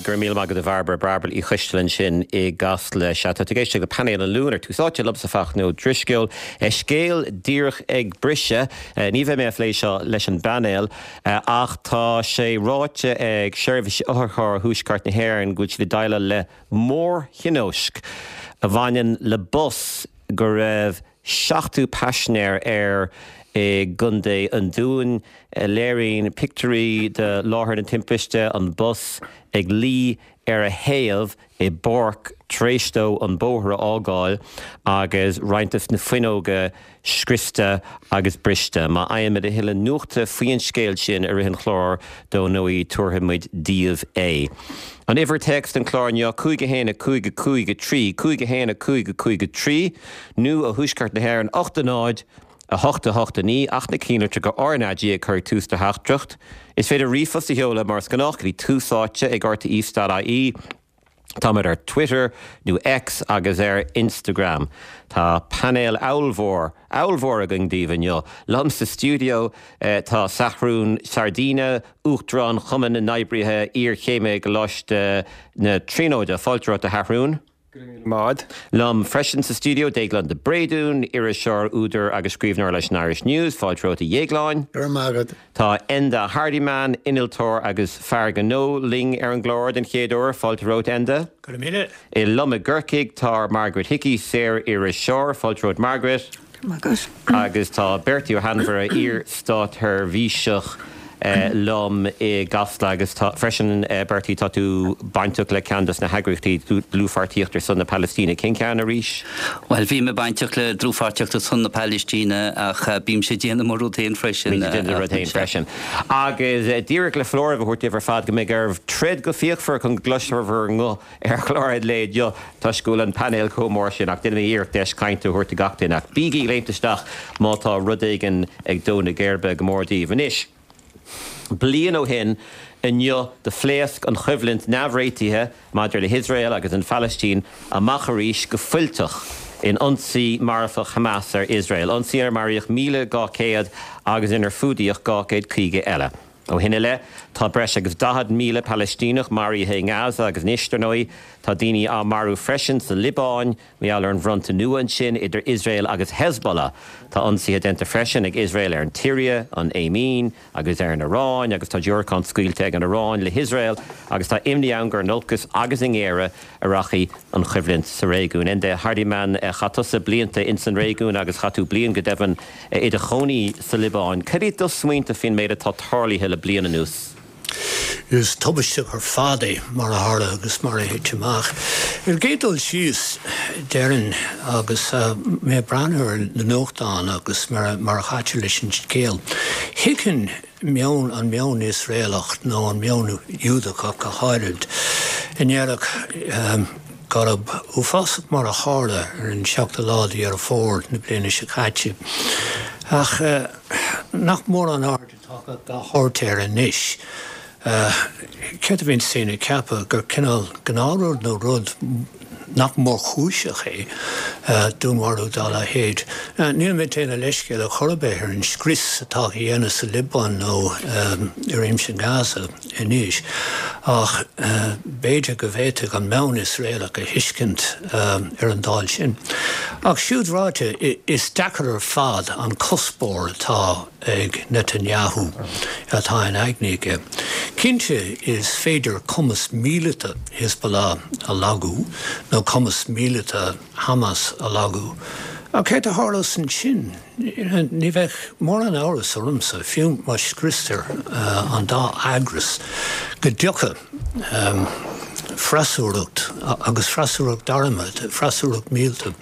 Go raibh míle maith agat a Bhairbre, Bairbre Uí Choisteala ansin i gCasla. Sea, tá tú ag éisteacht le Painéal an Luain ar Tús Áite liomsa Fachtna Ó Drisceoil. Scéal díreach ag briseadh, ní bheidh mé á phlé seo leis an bpainéal, ach tá sé ráite ag Seirbhís Otharcharr Thuaisceart na hÉireann go bhfuil siad ag déileáil le mórthionóisc a bhaineann le bus go raibh 70 paisinéir air i gContae an Dúin. Léiríonn pictiúirí de láthair na timpiste an bus ag luí ar a thaobh i bpáirc tar éis dó an bóthar a fhágáil agus roinnt de na fuinneoga scriosta agus briste. Má fhaighimid a thuilleadh nuachta faoi an scéal sin i rith an chláir, dó ndóigh, tabharfaidh muid daoibh é. An uimhir téacs don chlár inniu, 5 1 5 5 3, 5 1 5 5 3, nó ó Thuaisceart na hÉireann, 8 0 8 8 9, ach na cinnlitreacha RnaG ag cur tús do theachtaireacht. Is féidir ríomhphost a sheoladh mar is gnách go dtí túsáite ag rte.ie. Táimid ar Twitter, nó X, agus ar Instagram. Tá painéal ollmhór, ollmhór againn daoibh inniu. Liom sa stiúideo tá Seathrún Sardina, Uachtarán Chumann na nOibrithe Iarchéime i gColáiste na Tríonóide. Fáilte romhat, a Sheathrúin. Go raibh míle maith agat. Liom freisin sa stiúideo, Déaglán de Bréadún, iriseoir, údar agus scríbhneoir leis an Irish News. Fáilte romhat, a Dhéagláin. Go raibh maith agat. Tá Enda Hardiman, innealtóir agus fear gnó, linn ar an gclár den chéad uair. Fáilte romhat, Enda. Go raibh míle. Liom i gCorcaigh tá Margaret Hickey, saor-iriseoir. Fáilte romhat, Margaret. Go raibh maith agat. Agus tá Bertie Ó hAinmhire, iar-státsheirbhíseach, liom i gCasla agus tá, freisin, Bertie, tá tú bainteach le ceann dos na heagraíochtaí Dlúthpháirtíocht ar son na Palaistíne. Cén ceann arís? Bhuel, bhí mé bainteach le Dlúthpháirtíocht ar son na Palaistíne ach bímse ag déanamh mo rud féin freisin. Bíonn tú ag déanamh do rud féin freisin. Agus díreach le foláireamh a thabhairt daoibh ar fad go mbeidh oraibh troid go fíochmhar chun go gcloisfear bhur nguth ar chlár an lae inniu toisc go bhfuil an painéal chomh mór sin ach déanfaidh mé iarracht deis cainte a thabhairt do gach duine ach bígí ag léimt isteach má tá rud éigin ag dó na geirbe go mór daoibh. Anois, bliain ó shin inniu do phléasc an choimhlint neamhréitithe maidir le hIosrael agus an Phalaistín amach arís go fuilteach in ionsaí marfach Hamas ar Iosrael, ionsaí inar maraíodh 1,200 agus inar fuadaíodh 250 eile. Ó shin i leith, tá breis agus 40,000 Palaistíneach maraithe i nGaza agus anois, dar ndóigh, tá daoine á marú freisin sa Liobáin mar gheall ar an bhfronta nua ansin idir Iosrael agus Hezbollah. Tá ionsaithe déanta freisin ag Iosrael ar an tSiria, an Éimín agus ar an Iaráin agus tá diúracáin scaoilte ag an Iaráin le hIosrael agus tá imní ann gur in olcas agus i ngéire a rachaidh an choimhlint sa réigiún. Enda Hardiman, chaith tusa blianta ins an réigiún agus chaith tú bliain go deimhin i do chónaí sa Liobáin. Cad iad do smaointe faoin méid atá tarlaithe le bliain anuas? Is tubaisteach ar fad é mar a tharla agus mar a thit amach. Ar an gcéad dul síos, déarfainn, agus mé ag breathnú ar na nuachtáin agus mar a chaitear leis an scéal, thuigfinn meon, an meon Iosraelach nó an meon Iúdach ach go háirid, a ndéarfadh gurb uafásach mar a tharla ar an seachtú lá de Dheireadh Fómhair na bliana seo caite. Ach nach mórán aird atá á thabhairt air anois. Céard a bhíonns daoine ag ceapadh? Gur cineál gnáthrud nó rud nach mórchúiseach é dúnmharú dá leithéid. Níl mé ag déanamh leithscéal ar chor ar bith ar an scrios atá á dhéanamh sa Liobáin nó i réimse Gaza anois, ach b'fhéidir go bhféadfadh an meon Iosraelach a thuiscint ar an dáil sin. Ach siúd ráite, is deacair ar fad an cuspóir atá ag Netanyahu atá in aigne aige. Cinnte, is féidir cumas míleata Hezbollah a lagú, nó cumas míleata Hamas a lagú, ach céard a tharlós ansin? Ní bheadh mórán amhras ormsa, fiú má scriostar an dá eagras, go dtiocfadh freasúracht, agus freasúracht armtha, freasúracht míleata,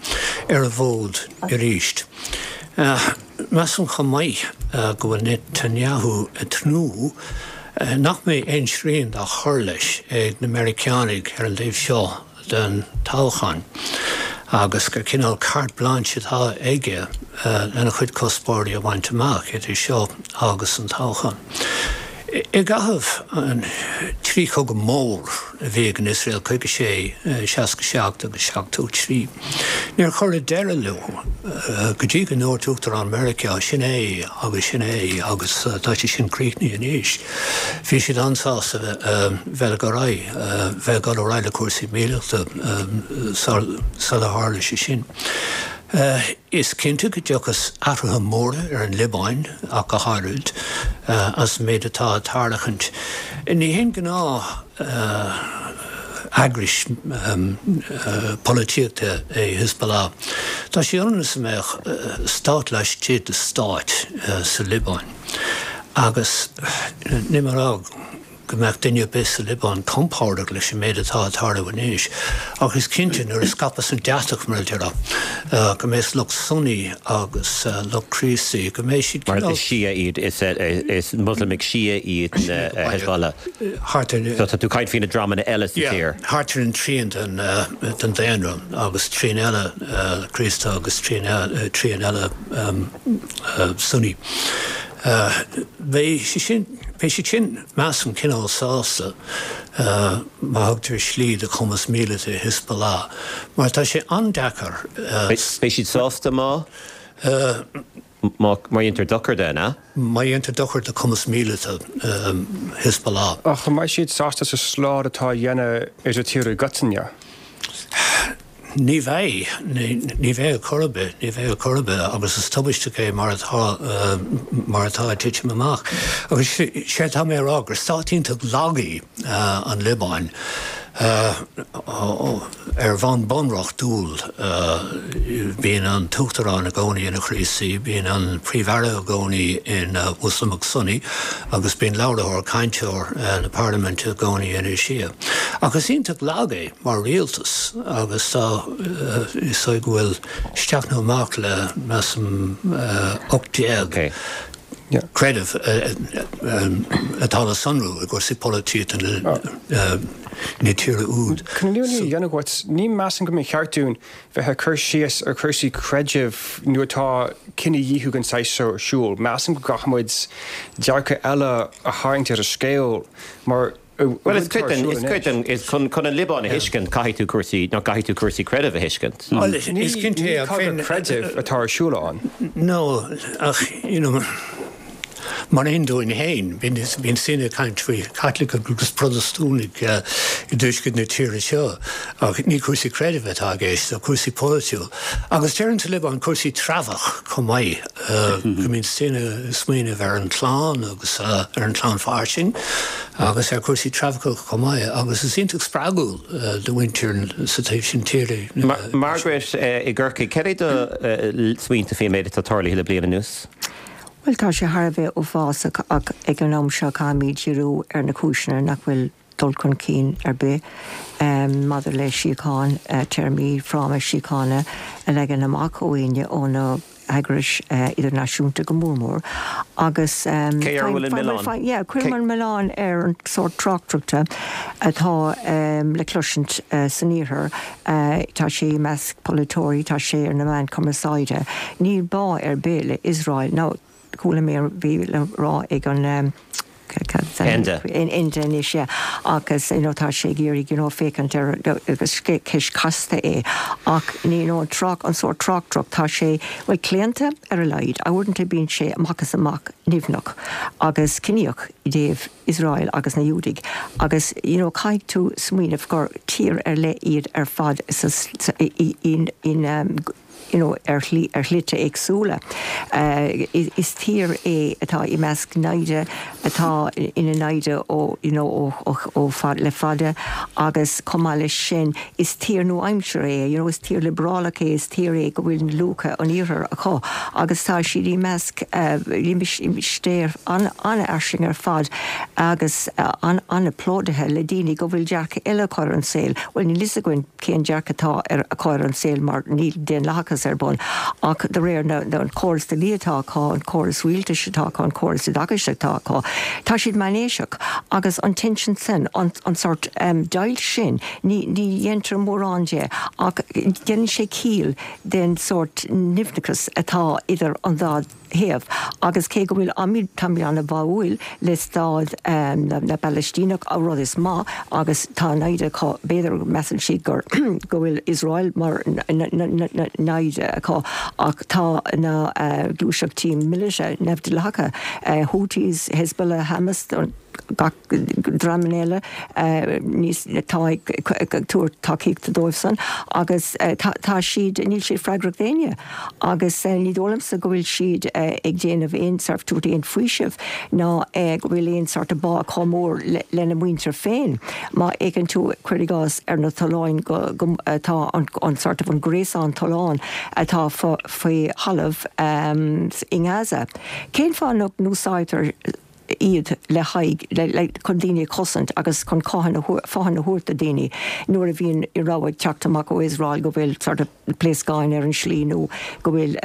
ar an bhfód arís. Measaim chomh maith go bhfuil Netanyahu ag tnúth nach mbeidh aon srian dá chur leis ag na Meiriceánaigh ar an dtaobh seo den toghchán agus gur cineál carte blanche atá aige lena chuid cuspóirí a bhaint amach idir seo agus an toghchán. I gcaitheamh an trí chogadh mór a bhí ag an Iosrael, 56, 67 agus 73, níor cuireadh deireadh leo go dtí go ndúirt Uachtarán Meiriceá, sin é agus sin é agus tá sé sin críochnaithe anois. Bhí siad an-sásta bheith ag ar aghaidh, bheith ag dul ar aghaidh le cúrsaí míleata sular tharla sé sin. Is cinnte go dtiocfas athruithe móra ar an Liobáin ach go háirid as an méid atá ag tarlachaint. Ní haon gnáth eagrais polaitíochta é Hezbollah. Tá sé ionann is a mbeadh stát laistigh de stát sa Liobáin agus níl mé ag rá go mbeadh duine ar bith sa Liobáin compordach leis an méid atá ag tarlú anois, ach is cinnte nuair a scaipfeas an deatach, mar a déarfá, go mbeas lucht Sunni agus lucht Críostaí, go mbeidh siad cineál. Mar is Shia iad, is Moslamaigh Shia iad na Hezbollah. Thart ar. So tá tú ag caint faoi na dreamanna eile sa tír. Yeah, thart ar an trian den daonra agus trian eile Críostaí agus trian eile Sunni. Beidh sé sin. Beidh siad sin, measaim, cineál sásta má thugtar slí do chumas míleata Hezbollah, mar tá sé an-deacair. Beidh siad sásta má? Má dhéantar dochar de, an ea? Má dhéantar dochar do chumas míleata Hezbollah. Ach an mbeidh siad sásta sa slad atá á dhéanamh ar an tír i gcoitinne? Ní bheidh. Ní bheidh ar chor ar bith. Ní bheidh ar chor ar bith agus is tubaisteach é mar atá, mar atá ag titim amach. Agus sé atá mé a rá gur stát iontach lag í an Liobáin ar bhonn bunreachtúil. Bíonn an tUachtarán i gcónaí ina Chríostaí, bíonn an Príomh-Aire i gcónaí ina Mhoslamach Sunni agus bíonn labharthóir, cainteoir na parlaiminte i gcónaí ina Shia. Ach is iontach lag é. mar rialtas agus tá is dóigh go bhfuil isteach nó amach le measaim 18 creideamh atá le sonrú i gcúrsaí polaitíochta na tíre úd. Chun an fhírinne a dhéanamh dhuit, ní measaim go mba cheart dúinn bheith ag cur síos ar chúrsaí creidimh nuair atá cinedhíothú den saghas seo ar siúl. Measaim go gcaithfidh muid dearcadh eile a tharraingt ar an scéal mar Bhuel, is cuid den, is cuid den, is chun, chun an Liobáin a thuiscint, caithfidh tú cúrsaí, nó caithfidh tú cúrsaí creidimh a thuiscint. Bhuel, is cinnte é, ach féin. Ní cogadh creidimh atá ar siúl ann. No, ach, you know, mar aon dúinn féin, bíonn, bíonn daoine ag caint faoi Chaitlicigh agus Protastúnaigh i dtuaisceart na tíre seo, ach ní cúrsaí creidimh atá i gceist, ach cúrsaí polaitiúil. Agus deireann sa Liobáin cúrsaí treabhach chomh maith, go mbíonn daoine ag smaoineamh ar an chlann agus ar an chlann fairsing. agus ar chúrsaí treabhacha chomh maith, agus is iontach spreagúil do mhuintir sa taobh sin tíre. Margaret i gCorcaigh, cad é do smaointe faoin méid atá tarlaithe le bliain anuas? Bhuel, tá sé thar a bheith uafásach ach ag an am seo caithfimid díriú ar na cúiseanna nach bhfuil dul chun cinn ar bith maidir le síocháin, téarmaí fráma síochána a leagan amach ó éinne ó na heagrais idirnáisiúnta go mór mór agus Cé air a bhfuil an milleán? Yeah, cuirim an milleán ar an sórt tráchtaireachta atá le cloisint san iarthar. Tá sé i measc polaiteoirí, tá sé ar na meáin cumarsáide. Níl bá ar bith le Iosrael. Now, chuala mé a bhí le rá ag an Enda. Enda anois, yeah. Agus, you know, tá sé ag iarraidh, you know, féachaint ar, agus ceist chasta é, ach, you know, an trácht, an sórt tráchtaireacht, tá sé, bhuel, claonta ar a laghad, uaireanta bíonn sé amach is amach nimhneach agus ciníoch i dtaobh Iosrael agus na Iúdaigh agus, you know, caithfidh tú smaoineamh gur tír ar leith iad ar fad sa, sa, i, in, in, you know, ar shlí, ar shlite éagsúla. Is tír é atá i measc naimhde, atá ina naimhde ó, you know, ó, ó, ó fad, le fada agus chomh maith leis sin is tír nua-aimseartha é, you know, is tír liobrálach é, is tír é go bhfuil luacha an Iarthair acu agus tá siad i measc limistéar an-fhairsing ar fad agus an-phlódaithe le daoine go bhfuil dearcadh eile acu ar an saol. Bhuel, níl fhios againn. cén dearcadh atá ar acu ar an saol mar níl daonlathachas ar bun ach de réir na an córas dlí atá acu, an córas rialtais atá acu, an córas oideachais atá acu, tá siad meánaoiseach agus an tension sin, an an sort deighilt sin, ní ní dhéantar mórán de ach déanann sé ciall den sórt nimhneachas atá idir an dá. thaobh agus cé go bhfuil táimid an-bháúil le stát na bPalaistíneach, rud is maith agus tá naimhde acu, b'fhéidir measann siad gur go bhfuil Iosrael mar naimhde acu ach tá na gluaiseachtaí míleata neamhdhleathacha, Houthis, Hezbollah, Hamas, gach dreamanna eile níos atá ag tabhairt tacaíochta dóibhsan agus tá siad, níl siad freagrach d'éinne agus ní dóigh liomsa go bhfuil siad ag déanamh aon sort, tabhairt aon faoiseamh ná go bhfuil aon sort of bá acu mór lena muintir féin. Má fhéachann tú, cuir i gcás, ar na tolláin go atá an sort of an gréasán tollán atá faoi thalamh i nGaza, cén fáth nach n-úsáidtear iad le haghaidh, le, chun daoine a chosaint agus chun fothain a thabhairt do daoine nuair a bhíonn rabhadh ag teacht amach ó Iosrael go bhfuil sort of pléascáin ar an slí nó go bhfuil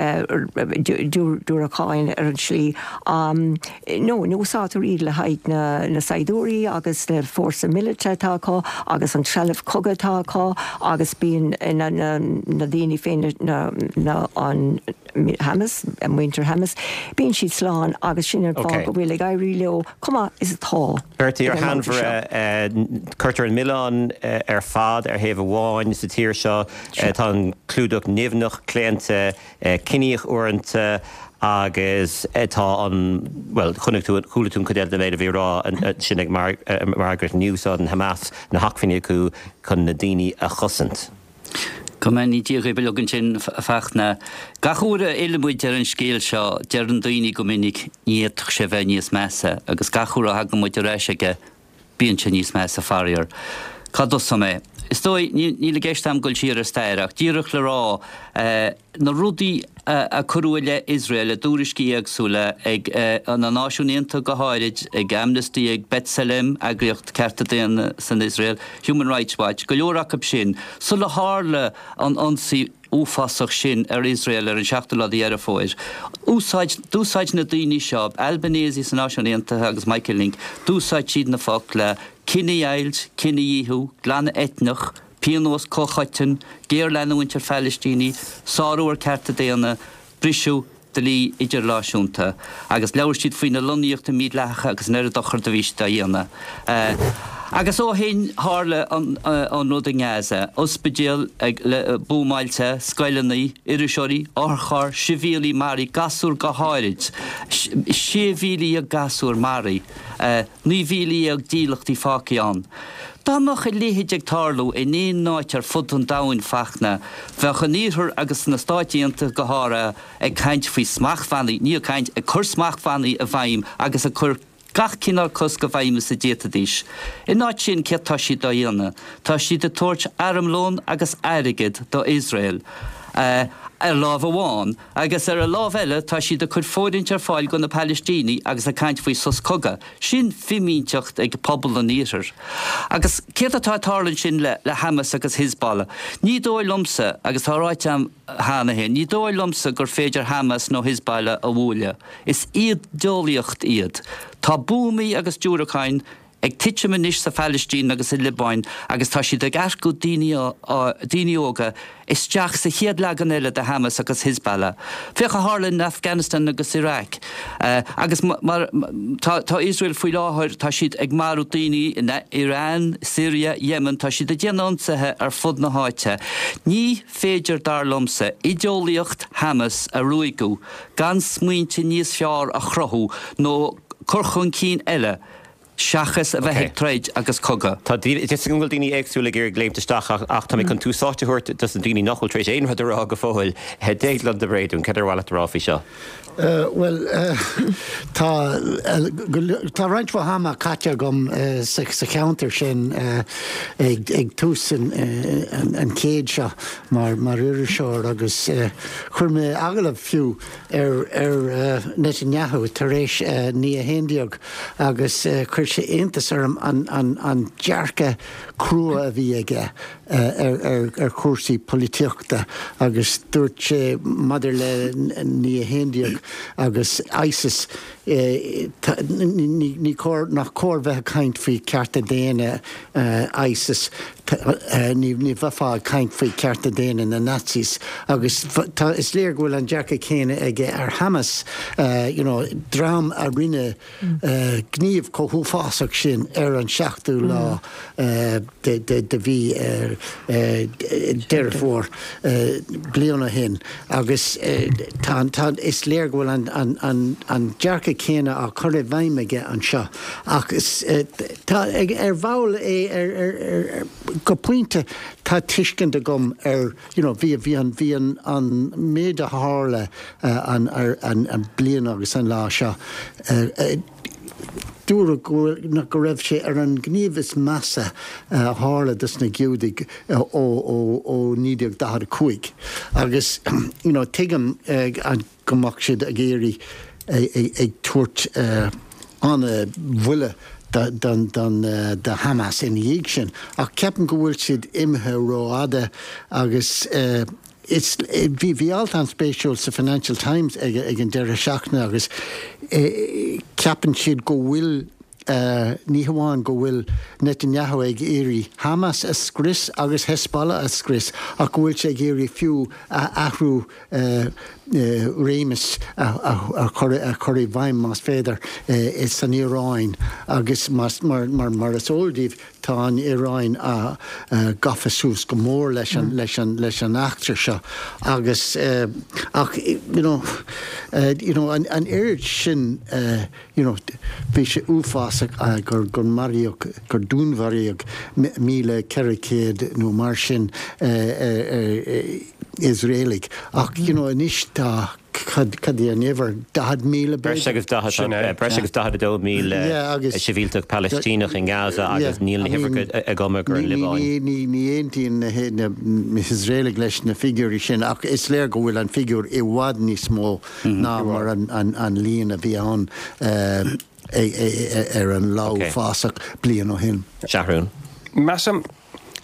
diúracáin ar an slí. No, ní úsáidtear iad le haghaidh na, na saighdiúirí agus na fórsa míleata atá acu agus an trealamh cogaidh atá acu agus bíonn na, na, na daoine féin, na, na, an. Hamas, muintir Hamas, bíonn siad slán agus sin an fáth go bhfuil ag éirí leo chomh maith is atá. Bertie, ar sheanmhaire, cuirtear an milleán ar fad ar thaobh amháin sa tír seo. Tá an clúdach nimhneach, claonta, ciníoch uaireanta agus tá an, bhuel, chonaic tú, chuala tú an chuid eile den méid a bhí á rá ansin ag Margaret, ní úsáideann Hamas na hacmhainní acu chun na daoine a chosaint. Go mbeannaí Dia dhaoibh uilig ansin, a Fachtna. Gach uair a fhilleann muid ar an scéal seo, deireann daoine go minic, ní fhéadfadh sé bheith níos measa, agus gach uair a thagann muid ar ais aige, bíonn sé níos measa, faraor. Cá dtosóidh mé? Is dóigh, níl i gceist a'm dul siar ar stair, ach díreach le rá, na rudaí a cuireadh i leith Iosrael i dtuairiscí éagsúla ag na Náisiúin Aontaithe go háirid, ag Amnesty, ag B'Tselem, eagraíocht cearta daonna san Iosrael, Human Rights Watch, go leor acu sin, sula tharla an ionsaí uafásach sin ar Iosrael ar an seachtú lá de Dheireadh Fómhair. Úsáid, d'úsáid na daoine seo, Albanese sna Náisiúin Aontaithe agus Michael Lynk, d'úsáid siad na focla cinedheighilt, cinedhíothú, glanadh eitneach, pionós comhchoiteann, géarleanúint ar Phalaistínigh, sárú ar cearta daonna, briseadh dlí idirnáisiúnta, agus labhair siad faoi na lonnaíochtaí mídhleathacha agus an oiread dochar do bhí siad á dhéanamh. Agus ó shin tharla an rud i nGaza, ospidéal buamáilte, scoileanna, iriseoirí, otharchairr, sibhialaigh maraithe, gasúir go háirid, 16,000 gasúr maraithe. 19,000 dílleachtaí fágtha ann. Dá mbeadh a leithéid ag tarlú in aon áit ar fud an domhain, Fachtna, bheadh an Iarthar agus na Stáit Aontaithe go háirithe ag caint faoi smachtbhannaí, ní ag caint, ag cur smachtbhannaí i bhfeidhm agus ag cur gach cineál cosc i bhfeidhm is a d'fhéadfaidís. In áit sin, céard tá siad á dhéanamh? Tá siad ag tabhairt armlón agus airgead do Iosrael ar láimh amháin, Agus ar an lámh eile, tá siad ag cur fóirithint ar fáil do na Palaistínigh agus ag caint faoi sos cogaidh. Sin fimínteacht ag pobal an Iarthair. Agus céard atá ag tarlú ansin le Hamas agus Hezbollah? Ní dóigh liomsa, agus tá ráite agam cheana féin, ní dóigh liomsa gur féidir Hamas nó Hezbollah a bhualadh. Is ídeolaíocht iad. Tá buamaí agus diúracáin ag titim anois sa Phalaistín agus sa Liobáin agus tá siad ag earcú daoine daoine óga isteach sa chéad leagan eile de Hamas agus Hezbollah. Féach a tharla in Afghanistan agus Iraq. Agus mar tá tá Iosrael faoi láthair tá siad ag marú daoine in Iran, Syria, Yemen, tá siad ag déanamh ionsaithe ar fud na háite. Ní féidir dar liomsa ideolaíocht Hamas a ruaigeadh gan smaointe níos fearr a chruthú nó cur chun cinn eile seachas a bheith ag troid agus cogadh. Tá fhios agam go bhfuil daoine éagsúla ag iarraidh léimt isteach ach tá mé chun tús áite a thabhairt dos na daoine nach bhfuil tar éis aon rud a rá go fóill. Déaglán de Bréadún, céard ar mhaith leat a rá faoi seo? Bhuel, tá tá roinnt mhaith ama caite agam sa cheantar sin ag tús an chéid seo mar mar iriseoir agus chuir mé agallamh fiú ar Netanyahu tar éis 9/11 agus chuir sé iontas orm an dearcadh crua a bhí aige. ar chúrsaí polaitíochta agus dúirt sé maidir le 9/11 agus ISIS, ní cóir, nach cóir bheith ag caint faoi cearta daonna ISIS, ní bheifeá ag caint faoi cearta daonna na Nazis agus tá, is léir go bhfuil an dearcadh céanna aige ar Hamas, you know, dream a rinne gníomh chomh huafásach sin ar an seachtú lá de mhí Deireadh Fómhair bliain ó shin agus tá, is léir go bhfuil an dearcadh céanna á chur i bhfeidhm aige anseo ach tá, ar bhall é, go pointe tá tuiscint agam ar you know bhí bhí an bhí an an méid a tharla an ar an an bliain agus an lá seo dúradh go bhfuil go raibh sé ar an ngníomh is measa a tharla dos na Giúdaigh ó ó ó 1945 agus you know tuigim an go mbeadh siad ag iarraidh ag tabhairt an-bhuille do Hamas ina dhiaidh sin. Ach ceapaim go bhfuil siad imithe rófhada agus is bhí bhí alt an-spéisiúil sa Financial Times ag ag an deireadh seachtaine agus ceapann siad go bhfuil Ní hamháin go bhfuil Netanyahu ag iarraidh Hamas a scrios agus Hezbollah a scrios ach go bhfuil sé ag iarraidh fiú athrú réimis a chur i bhfeidhm, más féidir, san Iaráin agus mar is eol daoibh tá an Iaráin gafa suas go mór leis an eachtra seo agus ach you know you know an oiread sin You know, bhí sé uafásach gur, gur maraíodh, gur dúnmharaíodh 1,400 nó mar sin Iosraelaigh. Ach, you know, anois tá, cad, cad é an uimhir, 40,000 Breis agus 40, Sin é. breis agus 42,000 Yeah, agus. sibhialtach Palaistíneach i nGaza agus níl na huimhreacha agam ar an Ní, Liobáin. ní, ní aontaíonn na, na, na hIosraelaigh leis na figiúirí sin ach is léir go bhfuil an figiúr i bhfad níos mó. ná mar an líon a bhí ann ar an lá uafásach bliain ó shin. Seathrún. Measaim,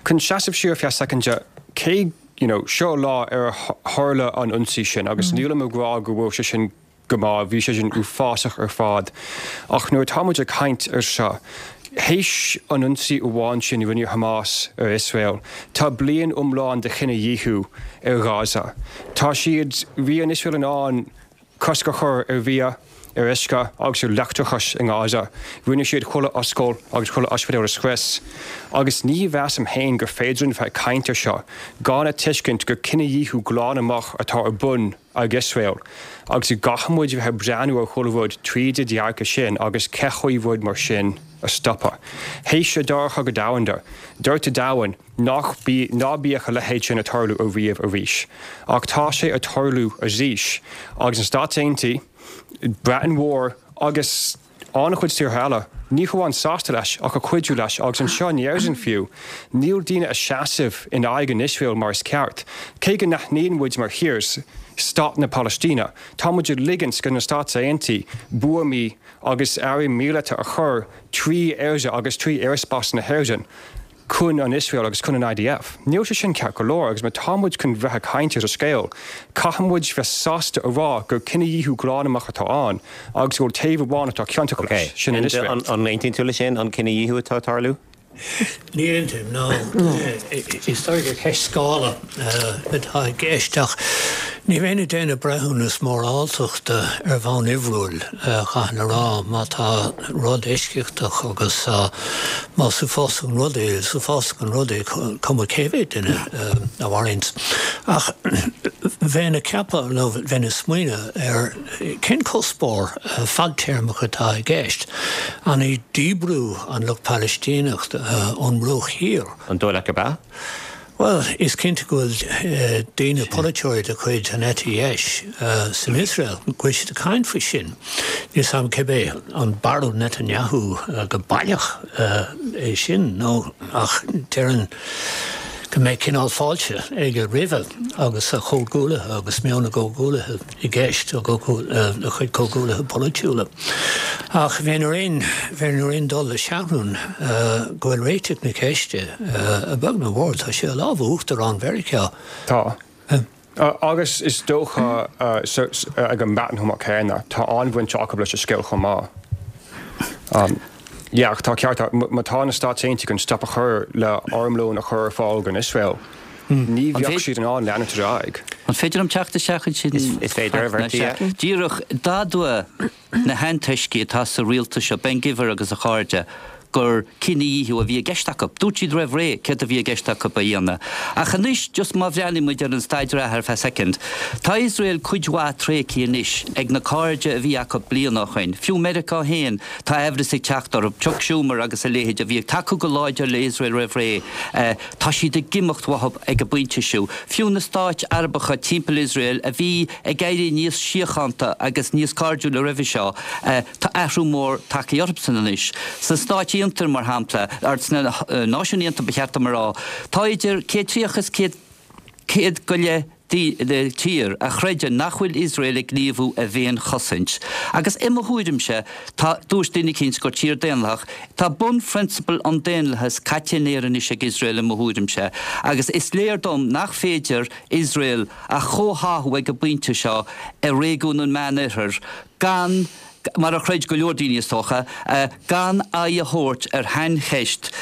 chun seasamh siar ar feadh soicind, cé, you know, seo lá ar tharla an ionsaí sin agus nílim ag rá go bhfuil sé sin go maith, bhí sé sin uafásach ar fad ach nuair atá muid ag caint ar seo, théis an ionsaí amháin sin a rinne Hamas ar Iosrael, tá bliain iomlán de chinedhíothú ar Ghaza. Tá siad, bhí an Iosrael in ann cosc a chur ar bhia, ar uisce agus ar leictreachas i nGaza. Rinne siad chuile ollscoil agus chuile ospidéal a scrios. Agus ní mheasaim féin gur féidir linn bheith ag caint ar seo gan a tuiscint gur cinedhíothú glan amach atá ar bun ag Iosrael agus go gcaithfidh muid a bheith ag breathnú ar chuile rud tríd an dearcadh sin agus cén chaoi rud mar sin a stopadh. Théis an Dara Cogadh Domhanda, dúirt an domhan nach ná bíodh a leithéid sin ag tarlú ariamh arís. Ach tá sé ag tarlú arís agus na Stáit Aontaithe, Breatain Mhór agus an-chuid tíortha eile, ní hamháin sásta leis ach ag cuidiú leis agus anseo in Éirinn fiú, níl daoine ag seasamh in aghaidh an Iosrael mar is ceart. Cé go n-aithníonn muid mar thír stát na Palaistíne, tá muid ag ligint do na Stáit Aontaithe buamaí agus earraí míleata a chur trí Éire agus trí aerspás na hÉireann. chun an Iosrael agus chun an IDF. Níl sé sin ceart go leor agus má tá muid chun bheith ag caint ar an scéal, caithfidh muid bheith sásta a rá gur cinedhíothú glan amach atá ann agus go bhfuil taobh amháin atá ciontach leis, sin an Iosrael. An aontaíonn tú leis sin, an cinedhíothú atá ag tarlú? Ní aontaím, no. Is dóigh gur ceist scála atá i gceist ach ní bheinn ag déanamh breithiúnas móráltachta ar bhonn uimhriúil, chaithfinn a rá. Má tá rud eisceachtach agus Más uafásach an rud é, is uafásach an rud é, cuma cé mhéad duine a mharaíonns. Ach bheinn ag ceapadh, nó bheinn ag smaoineamh ar cén cuspóir fadtéarmach atá i gceist. An é díbriú an lucht Palaistíneach ón mBruach Thiar? An dóigh leat gurb ea? Bhuel, is cinnte go bhfuil daoine, polaiteoirí de chuid an eite dheis san Iosrael, go bhfuil siad ag caint faoi sin. Níl 's a'm cibé an barúil Netanyahu go baileach é sin nó ach déarfainn go mbeidh cineál fáilte aige roimhe agus a chomhghuaillithe agus meon a gcomhghuaillithe i gceist, a chuid comhghuaillithe polaitiúla. Ach bheinn ar aon, bheinn ar aon dul le Seathrún go bhfuil réiteach na ceiste, a bheag nó a mhór, tá sé i lámha Uachtarán Mheiriceá. Tá. Agus is dócha ag an mBreatain chomh maith céanna, tá an-bhaint acu leis an scéal chomh maith. Yeah, ach tá ceart agat, má tá na Stáit Aontaithe chun stop a chur le armlón a chur ar fáil don Iosrael, ní bheadh siad in ann leanúint ar aghaidh. An féidir liom teacht isteach ansin? Is féidir, a Bhertie, yeah. Díreach, d'admhaigh na hantoiscigh atá sa rialtas seo, Ben Gvir agus a chairde, gur cinedhíothú a bhí i gceist acu. Dúirt siad roimh ré céard a bhí i gceist acu a dhéanamh. Ach anois, just má bhreathnaíonn muid ar an staid reatha ar feadh soicind, tá Iosrael cuid mhaith tréigthe anois ag na cairde a bhí acu bliain ó shoin, fiú Meiriceá féin, tá aimhreas ag teacht orthu, Chuck Schumer agus a leithéid a bhí ag tacú go láidir le Iosrael roimh ré, tá siad ag imeacht uathu ag an bpointe seo. Fiú na stáit Arabacha timpeall Iosrael a bhí ag éirí níos síochánta agus níos cairdiúla roimhe seo, tá athrú mór tagtha orthusan anois. Sna Stáit Aontaithe, mar shampla, or sna Náisiúin Aontaithe ba cheart dom a rá, tá idir 130 is 100 go leith tír a chreideann nach bhfuil Iosrael ag gníomhú i bhféinchosaint. Agus i mo thuairimse, tá, dúirt duine eicínt gur tír daonlathach, tá bunphrionsabail an daonlathais caite in aer anois ag Iosrael i mo thuairimse. Agus is léir dom nach féidir Iosrael a chomhtháthú ag an bpointe seo i réigiún an Meán-Oirthir gan, mar a chreid go leor daoine is dócha, gan aghaidh a thabhairt ar shaincheist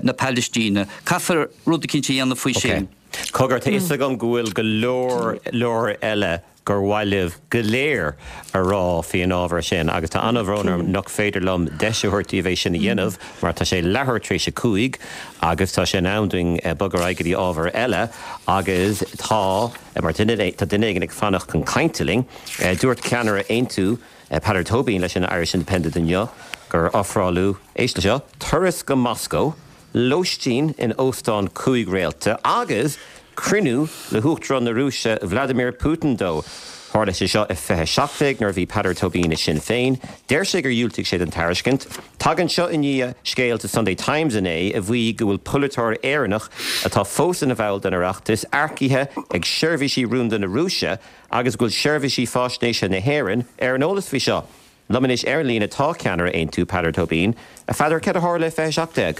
na Palaistíne. Caithfear rud eicínt a dhéanamh faoi sin. Cogar, tá fhios agam go bhfuil go leor leor eile gur mhaith libh go léir a rá faoi an ábhar sin agus tá an-bhrón orm nach féidir liom deis a thabhairt daoibh é sin a dhéanamh mar tá sé leathuair tar éis a 5 agus tá sé in am dúinn bogadh ar aghaidh go dtí ábhar eile agus tá mar duine tá duine éigin ag fanacht chun cainte linn. Dúirt ceannaire Aontú, Peadar Tóibín leis an Irish Independent inniu gur ofráladh, éist le seo, turas go Moscó, lóistín in óstán 5 réalta agus cruinniú le hUachtarán na Rúise Vladimir Putin dó. Tharla sé seo i 2017 nuair a bhí Peadar Tóibín i Sinn Féin. Deir sé gur dhiúltaigh sé don tairiscint. Tagann seo i ndiaidh scéil sa Sunday Times inné a mhaígh go bhfuil polaiteoir Éireannach atá fós ina bhall den Oireachtas earcaithe ag seirbhísí rúnda na Rúise agus go bhfuil seirbhísí faisnéise na hÉireann ar an eolas faoi seo. Liom anois ar an líne tá ceannaire Aontú, Peadar Tóibín. A Pheadair, céard a tharla i 2017?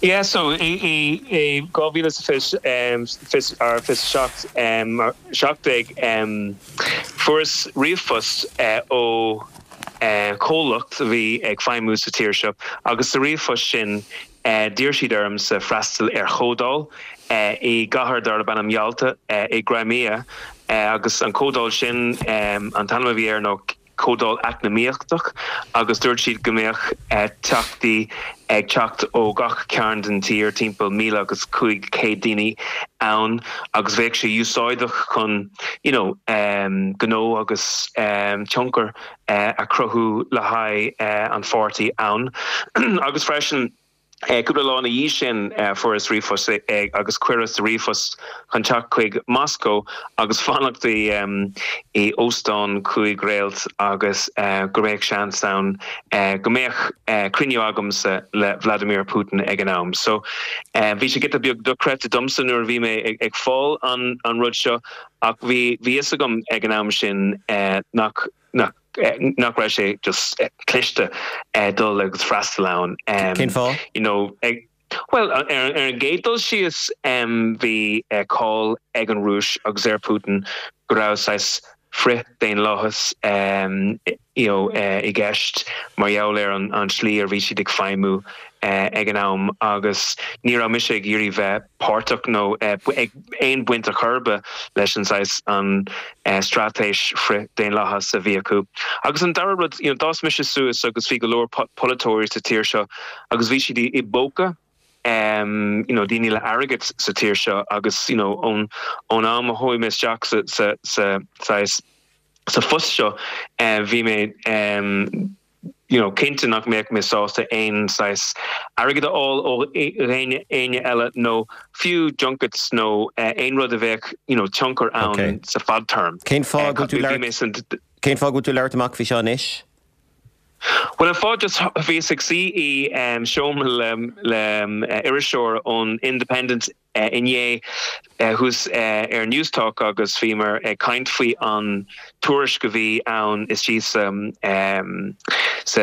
Yeah, so i 2020 or 27, 17, fuaireas ríomhphost ó chomhlacht a bhí ag feidhmiú sa tír seo agus sa ríomhphost sin d'iarr siad ormsa freastal ar chomhdháil i gcathair darb ainm Yalta i gCrimea agus an chomhdháil sin, an t-ainm a bhí air ná Comhdháil Eacnamaíochtach agus dúirt siad go mbeadh teachtaí ag teacht ó gach cearn den tír, timpeall 1,500 daoine ann agus bheadh sé úsáideach chun you know gnó agus tionchar a chruthú le haghaidh an pháirtí ann agus freisin Cúpla lá ina dhiaidh sin fuaireas ríomhphost agus cuireadh sa ríomhphost chun teacht chuig Moscó agus fanacht i óstán 5 réalt agus go mbeadh seans ann go mbeadh cruinniú agamsa le Vladimir Putin ag an am. So bhí sé giota beag dochreidte domsa nuair a bhí mé ag fáil an rud seo ach bhí fhios agam ag an am sin nach nach nach raibh sé just cliste dul agus freastal ann. Cén fáth? You know, ag, bhuel, ar, ar an gcéad dul síos bhí cáil ag an Rúis agus ar Putin go raibh saghas frith-daonlathas you know, i gceist mar gheall ar an, an tslí ar bhí siad ag feidhmiú ag an am agus ní raibh mise ag iarraidh bheith páirteach nó ag aon bhaint ar chor ar bith leis an saghas an straitéis frith-daonlathas a bhí acu. Agus an dara rud, you know, d'fhás mise suas agus bhí go leor polaiteoirí sa tír seo agus bhí siad i bpóca you know, daoine le airgead sa tír seo agus you know, ón ón am a chuaigh mé isteach sa sa sa saghas sa phost seo bhí mé you know, cinnte nach mbeadh mé sásta aon saghas airgead a fháil ó dhaoine éinne eile nó fiú junkets nó aon rud a bheadh you know, tionchar ann okay. sa fadtéarma. Cén fáth go bhfuil tú labhairt Cén fáth go bhfuil tú labhairt amach faoi seo anois? Bhuel an fáth just bhíos ag suí i seomra le le iriseoir ón Independent. Inné thuas ar Newstalk agus bhíomar ag caint faoi an tuairisc a bhí ann istigh sa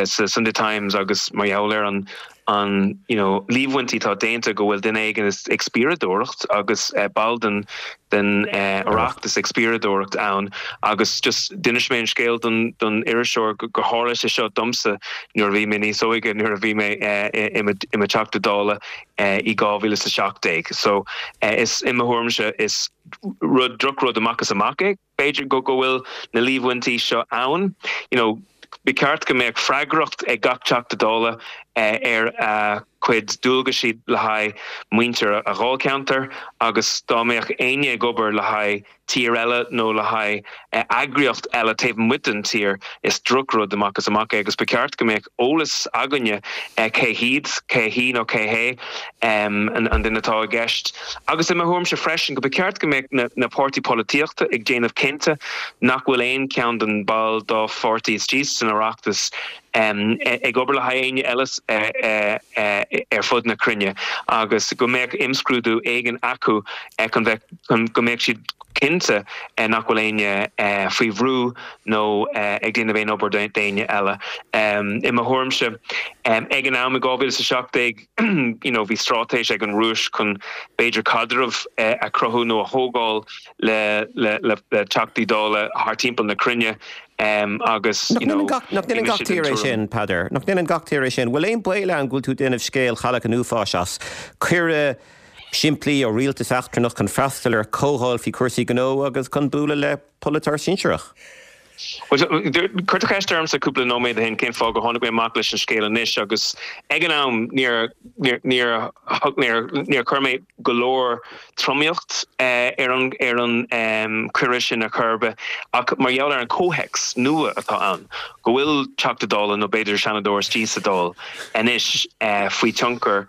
sa Sunday Times agus mar gheall ar an an you know líomhaintí atá déanta go bhfuil duine éigin ag spiaireadóireacht agus ball den den Oireachtas ag spiaireadóireacht ann agus just d'inis mé an scéal don don iriseoir gur tharla sé seo domsa nuair a bhí mé níos óige nuair a bhí mé i mo i mo Teachta Dála i 2017. So is i mo thuairimse is rud drochrud amach is amach é. B'fhéidir go go bhfuil na líomhaintí seo ann. You know, ba cheart go mbeadh freagracht ag gach Teachta Dála ar a chuid dualgaisí le haghaidh muintir a dháilcheantair agus dá mbeadh éinne ag obair le haghaidh tír eile nó le haghaidh eagraíocht eile taobh amuigh den tír, is drochrud amach is amach é agus ba cheart go mbeadh eolas againne cé hiad, cé hí nó cé hé an duine atá i gceist. Agus i mo thuairimse freisin go ba cheart go mbeadh na páirtí polaitíochta ag déanamh cinnte nach bhfuil aon cheann den ball dá pháirtí istigh san Oireachtas ag obair le haghaidh éinne eile ar fud na cruinne agus go mbeadh imscrúdú éigin acu chun bheith chun go mbeadh siad cinnte nach bhfuil éinne faoi bhrú nó ag déanamh aon obair d'éinne eile. I mo thuairimse, ag an am i 2017, you know, bhí straitéis ag an Rúis chun b'fhéidir caidreamh a chruthú nó a thógáil le le le Teachtaí Dála thar timpeall na cruinne agus, you know, Nach ndéanann gach tír é sin, Peadar? Nach ndéanann gach tír é sin? Bhfuil aon baol ann go bhfuil tú ag déanamh scéal Chailleach an Uafáis as? Cuireadh simplí ó rialtas eachtrannach chun freastal ar chomhdháil faoi chúrsaí gnó agus chun bualadh le polaiteoir sinsearach. Bhuel, cuir tú ceist ormsa cúpla nóiméad ó shin cén fáth gur tháinig mé amach leis an scéal anois agus ag an am níor, níor, níor, níor chuir mé go leor tromaíocht ar an, ar an cuireadh sin ar chor ar bith ach mar gheall ar an comhthéacs nua atá ann, go bhfuil Teachta Dála nó b'fhéidir Seanadóir istigh sa Dáil anois faoi tionchar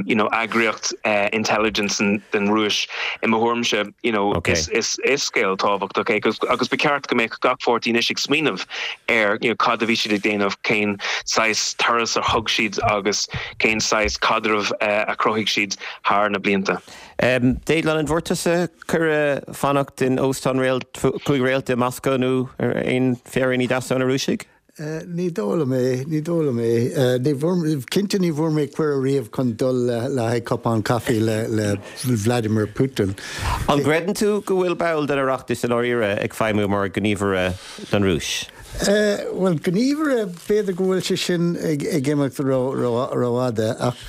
you know eagraíocht intelligence den Rúis i mo thuairimse you know is is is scéal tábhachtach é agus agus ba cheart go mbeadh gach pháirtí anois ag smaoineamh ar you know cad a bhí siad ag déanamh cén saghas turas a thug siad agus cén saghas caidreamh a chruthaigh siad thar na blianta. Déaglán, an bhfuair tusa cuireadh fanacht in óstán réalt 5 réalta i Moscó nó ar aon féiríní deasa ó na Rúisigh? Ní dóigh liom é, ní dóigh liom é. Ní bhfuair, cinnte ní bhfuair mé cuireadh riamh chun dul le haghaidh cupán caife le, le Vladimir Putin. An gcreideann tú go bhfuil ball den Oireachtas i ndáiríre ag feidhmiú mar ghníomhaire don Rúis? Bhuel, gníomhaire, b'fhéidir go bhfuil sé sin ag, ag imeacht ró, ró, rófhada ach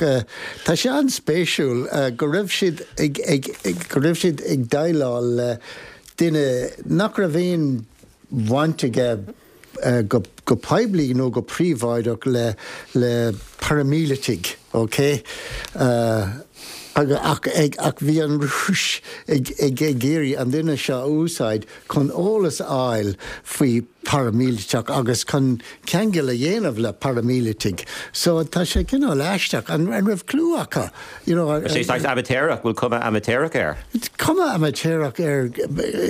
tá sé an-spéisiúil go raibh siad ag, ag, go raibh siad ag déileáil le duine nach raibh aon bhaint aige go poiblí nó go príobháideach le le paraimíleataigh, ok? Ach ach bhí an Rúis ag ag ag iarraidh an duine seo a úsáid chun eolas a fháil faoi paraimíleatach agus chun ceangal a dhéanamh le paraimíleataigh. So tá sé cineál aisteach. An raibh clue acu? You know, Is é saghas amaitéarach, bhfuil cuma amaitéarach air? Cuma amaitéarach air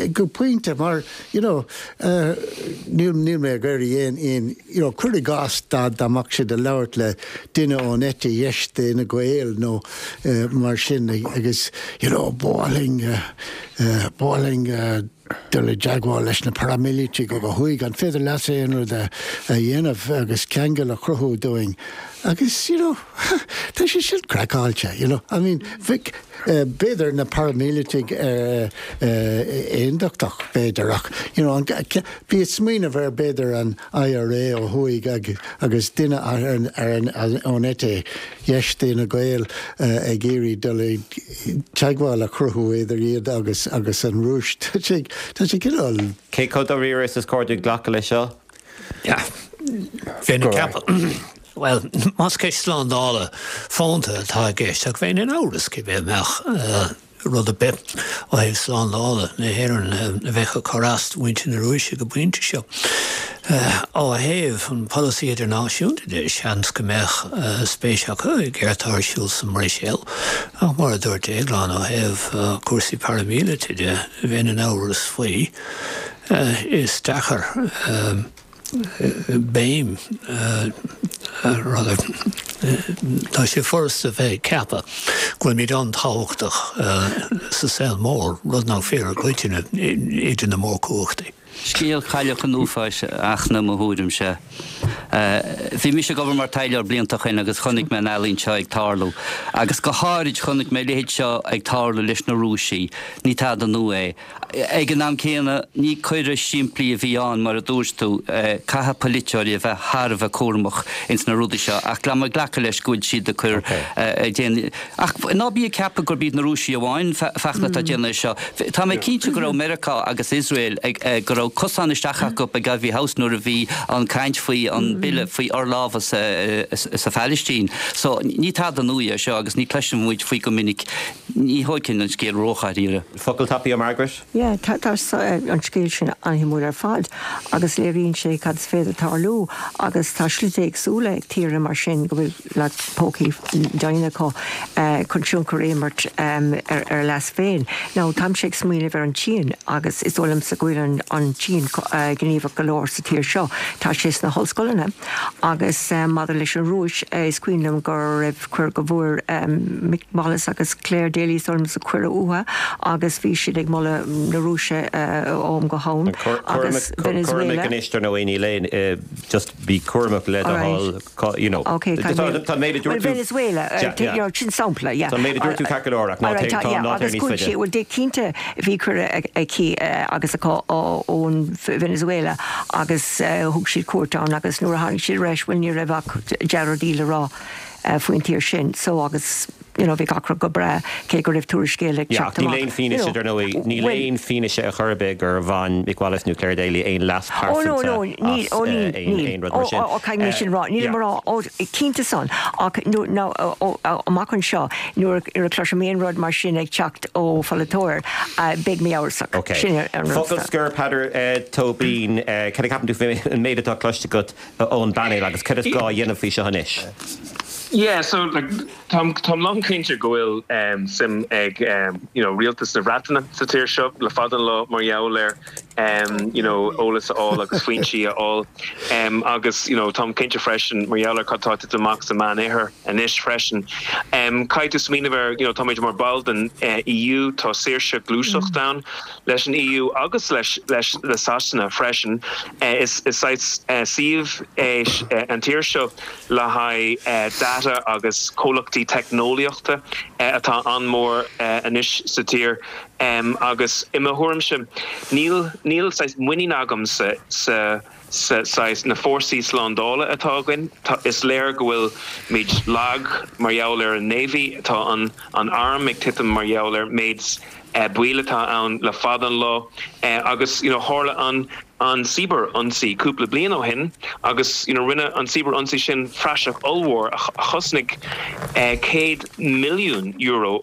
go pointe mar You know, níl, níl mé ag iarraidh aon, aon, you know, cuir i gcás dá, dá mbeadh siad ag labhairt le duine ón eite dheis d'Fhine Gael nó mar sin agus, you know, ba mhaith linn, ba mhaith linn dul i dteagmháil leis na paraimíleataigh ó thuaidh, an féidir leatsa aon rud a, a dhéanamh agus ceangal a chruthú dúinn? Agus, you know, tá sé sin craiceáilte, you know, I mean, bheadh, B'fhéidir na paraimíleataigh aondachtach, b'fhéidir, ach you know bí ag smaoineamh ar b'fhéidir an IRA ó thuaidh agus duine ón eite dheis d'Fhine Gael ag iarraidh dul i teagmháil a chruthú idir iad agus agus an Rúis. Tá sé tá sé cineál. Cé chomh dáiríre is is cóir dúinn glacadh leis seo? Bheinn ag ceapadh, bhuel, más ceist slándála fónta atá i gceist, ach bheinn in amhras cibé an mbeadh rud ar bith ó thaobh slándála na hÉireann a bheadh ag cur as do mhuintir na Rúise ag an bpointe seo. Ó thaobh an pholasaí idirnáisiúnta de, seans go mbeadh spéis acu i gcéard atá ar siúl sa mBruiséil, ach mar a dúirt Déaglán, ó thaobh cúrsaí paraimíleata de, bheinn in amhras faoi. Is deacair béim. Rather, tá sé furasta bheith ag ceapadh go bhfuilimid an-tábhachtach sa saol mór, rud nach fíor i gcoitinne idir na mórchumhachtaí. Scéal Chailleach an Uafáis, a Fhachtna, i mo thuairimse. Bhí mise ag obair mar taidhleoir blianta ó shin agus chonaic mé an ealaín seo ag tarlú. Agus go háirid chonaic mé a leithéid seo ag tarlú leis na Rúisigh. Ní tada nua é. Ag an am céanna, ní cuireadh simplí a bhí ann, mar a dúirt tú. Caithfidh polaiteoirí a bheith thar a bheith cúramach ins na rudaí seo ach tá mé ag glacadh leis go bhfuil siad ag cur, ag déanamh. Ach ná bí ag ceapadh gurb iad na Rúisigh amháin, Fachtna, atá ag déanamh é seo. Tá mé cinnte go raibh Meiriceá agus Iosrael ag, go raibh cosán isteach acu ag Iveagh House nuair a bhí an caint faoi an bille faoi fhorlámhas sa Phalaistín. So, ní tada nua é seo agus ní cloiseann muid faoi go minic. Ní thógfainn an scéal ródháiríre. Focal tapaidh ó Margaret? Yeah, tá an scéal sin an-shuimiúil ar fad agus léiríonn sé cad is féidir tarlú agus tá slite éagsúla ag tíortha mar sin go bhfuil like pócaí daingne acu chun tionchar a imirt ar a leas féin. Now táimse ag smaoineamh ar an tSín agus is dóigh liomsa go bhfuil an tSín gníomhach go leor sa tír seo. Tá sé sna hollscoileanna agus maidir leis an Rúis is cuimhin liom go raibh cuireadh go bhfuair Mick Wallace agus Clare Daly is dóigh liomsa cuireadh uathu agus bhí siad ag moladh na Rúise ó am go ham agus Venezuela. Cúramach anois dar ndóigh níl aon just bí cúramach le do thoil you know. Ok tá mé Tá an méid a dúirt Well tú Venezuela you know sin sampla yeah. Tá an méid a dúirt tú ceart go leor ach ná téigh tá ná téigh níos Agus go faide. bhfuil well cinnte bhí cuireadh aici agus acu ón Venezuela agus thug siad cuairt ann agus nuair a tháinig siad ar ais bhuel ní raibh ach dea-rudaí le rá faoin tír sin so agus you know bhí gach rud go breá cé go raibh tuairiscí eile ag Yeah, teacht ach níl amach aon you fianaise know dar ndóigh, níl bhuel aon fianaise ar chor ar bith gur bhain Mick Wallace nó Clare Daly aon leas Oh no pearsanta no níl as oh níl aon níl aon rud oh mar sin. oh oh caithfidh mé sin rá nílim Yeah. a rá oh cinnte san ach nó nó oh oh amach anseo nuair a chloisim aon rud mar sin ag teacht ó pholaiteoir beidh mé amhrasach. Ok. Sin an rud. Focal scoir Peadar Tóibín, cad a cheapann tú faoin méid atá cloiste agat ón bpainéal agus cad is gá a dhéanamh faoi seo anois? Yeah, so like táim táim lánchinnte go bhfuil suim ag you know rialtas na Breataine sa tír seo le fada an lá mar gheall ar you know eolas a fháil agus foinsí a fháil agus you know táim cinnte freisin mar gheall ar cad tá ag titim amach sa Meánoirthear anois freisin. Caithfidh tú smaoineamh ar, you know, táimid mar ball den EU, tá saoirse gluaiseacht ann leis an EU agus leis leis le Sasana freisin. Is is saghas suíomh é an tír seo le haghaidh data agus comhlachtaí teicneolaíochta atá an-mhór anois sa tír agus i mo thuairimse níl níl saghas muinín agamsa sa sa saghas, na fórsaí slándála atá againn, tá, is léir go bhfuil muid lag mar gheall ar an Navy, tá an, an arm ag titim mar gheall ar méid baoil atá ann le fada an lá agus you know tharla an, an cibear-ionsaí cúpla bliain ó shin agus you know rinne an cibear-ionsaí sin praiseach ollmhór a chosnaigh €100 milliún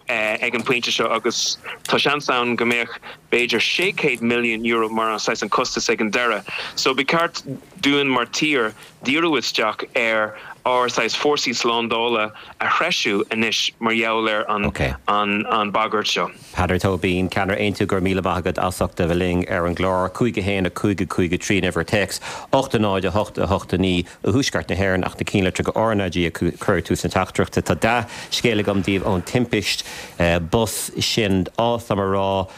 ag an bpointe seo agus tá seans ann go mbeadh b'fhéidir €600 milliún mar an saghas an costas ag an deireadh. So ba cheart dúinn mar tír díriú isteach ar ár saghas fórsaí slándála a threisiú anois mar gheall ar an an an bagairt seo. Peadar Tóibín, Ceannaire Aontú, go raibh míle maith agat as ucht a bheith linn ar an gclár. 5 1 5 5 3 an uimhir téacs, 8 0 8 8 9 i dTuaisceart na hÉireann ach na cinnlitreacha RnaG a chur ag tús na teachtaireachta. Tá dea-scéal agam daoibh ón timpist bus sin. Ádhas liom a rá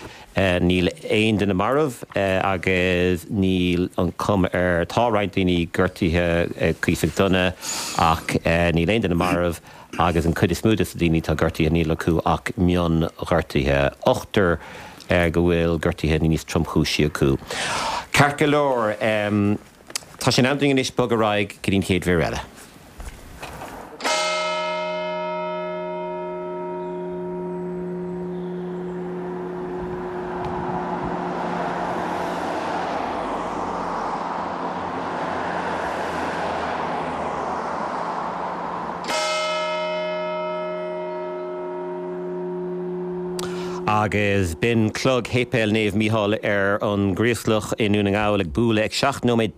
níl aon duine marbh agus níl an chuma air, tá roinnt daoine gortaithe cuíosach dona ach níl aon duine marbh agus an chuid is mó de na daoine atá gortaithe níl acu ach mionghortuithe. Ochtar go bhfuil gortuithe níos tromchúisí acu. Ceart go leor. Tá sé in am dúinn anois bogadh ar aghaidh go dtí an chéad mhír eile. Agus b'in clog Shéipéal Naomh Mícheál ar an gCraoslach i nDún na nGall ag bualadh ag 17 nóiméad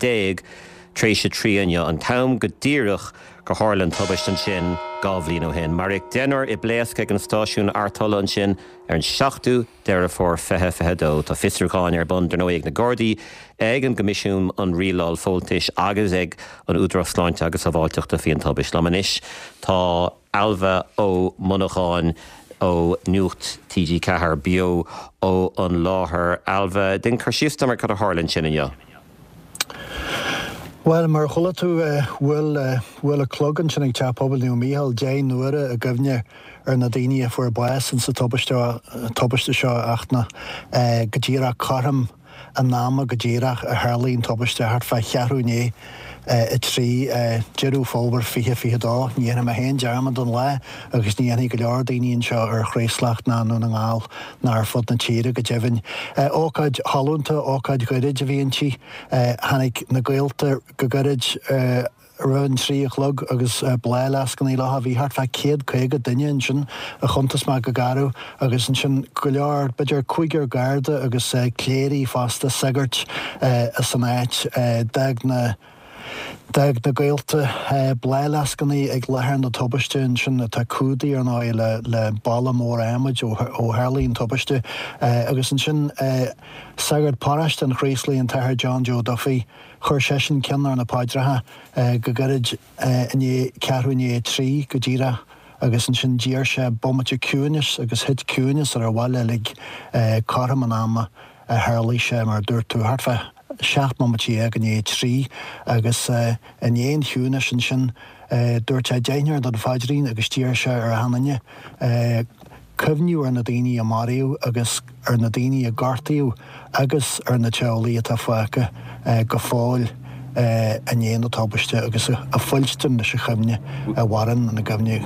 tar éis a 3 inniu, an t-am go díreach gur tharla an tubaist ansin. 2 bhliain ó shin. Maraíodh deichniúr i bpléasc ag an stáisiún artola ansin ar an 7ú Deireadh Fómhair 2022. Tá fiosrúcháin ar bun, dar ndóigh, ag na Gardaí, ag an gCoimisiún um Rialáil Fóntais agus ag an Údarás Sláinte agus Sábháilteachta faoin tubaist. Liom anois tá Ailbhe Ó Monacháin ó Nuacht TG4 beo ó an láthair. Ailbhe, déan cur síos dom ar cad a tharla ansin inniu. Bhuel, mar a chuala tú, bhuail, bhuail an clog ansin ag Teach Pobail Naomh Mícheál 10 n-uaire i gcuimhne ar na daoine a fuair bás insa tubaiste, tubaiste seo a Fhachtna, go díreach cothrom an ama go díreach a tharlaigh an tubaiste, thart fá cheathrú i ndiaidh 3, Deireadh Fómhair 2022. Ní dhéanfaidh mé féin dearmad den lá agus ní dhéanfaidh go leor daoine anseo ar Chraoslach ná i nDún na nGall ná ar fud na tíre go deimhin. Ócáid shollúnta, ócáid ghairid a bhí inti. Tháinig na gaolta go gairid roimh an 3 a chlog agus bláthfhleascanna leo. Bhí thart fá 150 duine ansin a chuntas mé go garbh agus ansin go leor, b'fhéidir cúigear garda agus cléirigh fosta, sagairt as an áit. D'fhág na. D'fhág na gaolta bláthfhleascanna ag láthair na tubaiste ansin, atá cumhdaithe ar ndóigh le balla mór adhmaid ó tharlaigh an tubaiste. Agus ansin sagart paróiste an Chraoslaigh, an tAthair John Joe Duffy, chuir seisean ceann ar na paidreacha go gairid i ndiaidh ceathrú i ndiaidh 3 go díreach agus ansin d'iarr sé bomaite ciúinis agus thit ciúineas ar an bhaile uilig cothrom an ama a tharlaigh sé, mar a dúirt tú, thart fá 17 mbomaite i ndiaidh 3 agus i ndiaidh an chiúnais ansin dúirt sé deichniúr den phaidrín agus d'iarr sé ar achan duine cuimhniú ar na daoine a maraíodh agus ar na daoine a gortaíodh agus ar na teaghlaigh atá fágtha go fóill i ndiaidh na tubaiste agus a fuilstin leis an chuimhne a mhaireann ina gcuimhne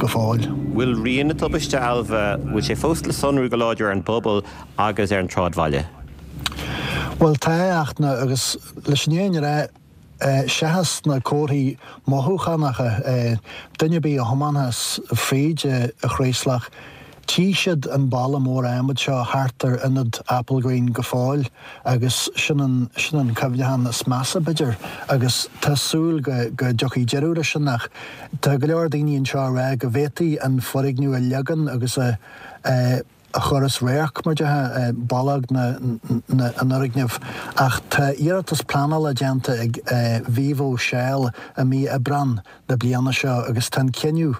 go fóill. Bhfuil rian na tubaiste, Ailbhe, bhfuil sé fós le sonrú go láidir ar an bpobal agus ar an tsráidbhaile? Bhuel, tá, a Fhachtna, agus leis an fhírinne a rá, seachas na comharthaí mothúchánacha, duine ar bith a thiomáinfeas fríd an Chraoslach, tchí siad an balla mór adhmaid seo thart ar ionad Applegreen go fóill agus sin an, sin an cuimhneachán is measa, b'fhéidir, agus tá súil go, go dtiocfaidh deireadh leis sin ach tá go leor daoine anseo a rá go bhféadfaí an foirgneamh a leagan agus a, a chur as radharc, mar déarfá, ballóg an fhoirgnimh. Ach tá iarratas pleanála déanta ag Vivo Shell i mí Aibreán na bliana seo agus tá an cinneadh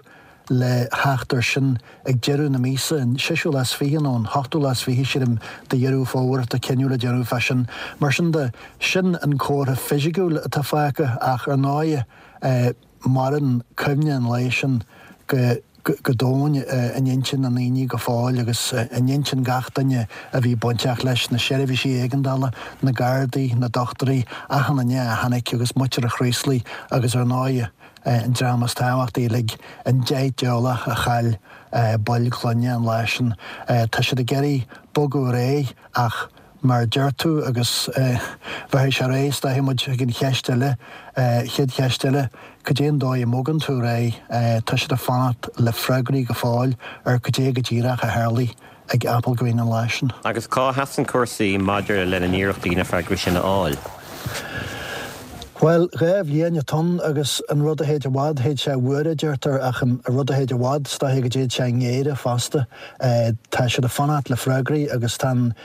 le theacht air sin ag deireadh na míosa, an seisiú lá is fiche nó an hochtú lá is fiche, sílim, de Dheireadh Fómhair atá cinneadh le déanamh fá sin. Mar sin de, sin an comhartha fisiciúil atá fágtha ach ar ndóighe, Maireann cuimhne an lae sin go go domhain in intinn na ndaoine go fóill agus in intinn gach duine a bhí bainteach leis, na seirbhísí éigeandála, na Gardaí, na dochtúirí, achan duine a tháinig agus muintir an Chraoslaigh agus ar ndóighe an dream is tábhachtaí uilig, an 10 dteaghlach a chaill baill clainne an lá sin. Tá siad ag iarraidh bogadh ar aghaidh ach Mar a deir tú, agus bheirfidh sé ar aghaidh, is dóiche, muid chuig an cheist eile, chéad cheist eile, cad é an dóigh a mbogann tú ar aghaidh? Tá siad ag fanacht le freagraí go fóill ar cad é go díreach a tharlaigh ag Applegreen an lá sin. Agus cá sheasann cúrsaí maidir lena n-iarrachtaí na freagraí sin a fháil? Bhuel, 2 bhliain atá ann agus an rud a théid i bhfad, théid sé i bhfuaire, a deirtear, ach an rud a théid i bhfad, is dóiche go dtéid sé i ngéire fosta. Tá siad ag fanacht le freagraí agus tá an,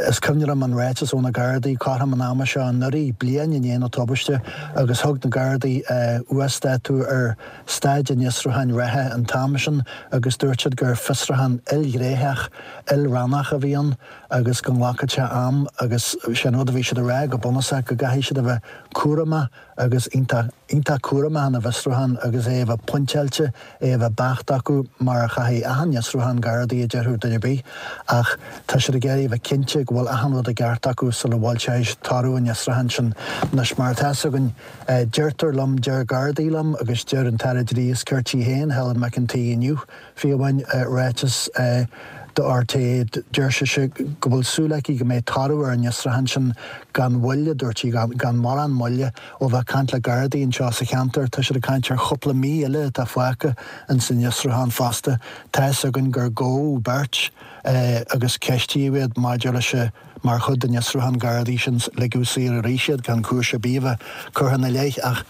is cuimhin liom an ráiteas ó na Gardaí cothrom an ama seo anuraidh, bliain i ndiaidh na tubaiste, agus thug na Gardaí uasdátú ar staid an fhiosrúcháin reatha an t-am sin agus dúirt siad gur fiosrúchán ilghnéitheach, ilrannach a bhí ann. agus go nglacfadh sé am agus sé an rud a bhí siad a rá go bunúsach go gcaithfidh siad a bheith cúramach agus iontach, iontach cúramach ina bhfiosrúchán agus é a bheith pointeáilte, é a bheith beacht acu mar a chaithfidh achan fhiosrúchán Gardaí a déarfadh duine ar bith ach tá siad ag iarraidh a bheith cinnte go bhfuil achan rud i gceart acu sula bhfoilseoidh siad toradh an fhiosrúcháin sin. Anois mar atá 'fhios againn, deirtear liom, deir Gardaí liom agus deir an tAire Dlí is Cirt í féin, Helen McEntee inniu, Fiú amháin i ráiteas do RTÉ, deir sise go bhfuil súil aici go mbeidh toradh ar an fhiosrúchán sin gan mhoill, a dúirt sí, gan mórán moille. Ó bheith ag caint le Gardaí anseo sa cheantar, tá siad ag caint ar chúpla mí eile atá fágtha ins an fhiosrúchán fosta. Tá 'fhios againn gur gabhadh beirt agus ceistíodh iad maidir leis an mar chuid den fhiosrúchán Gardaí sin, ligeadh saor arís iad gan cúis ar bith a bheith curtha ina leith. Ach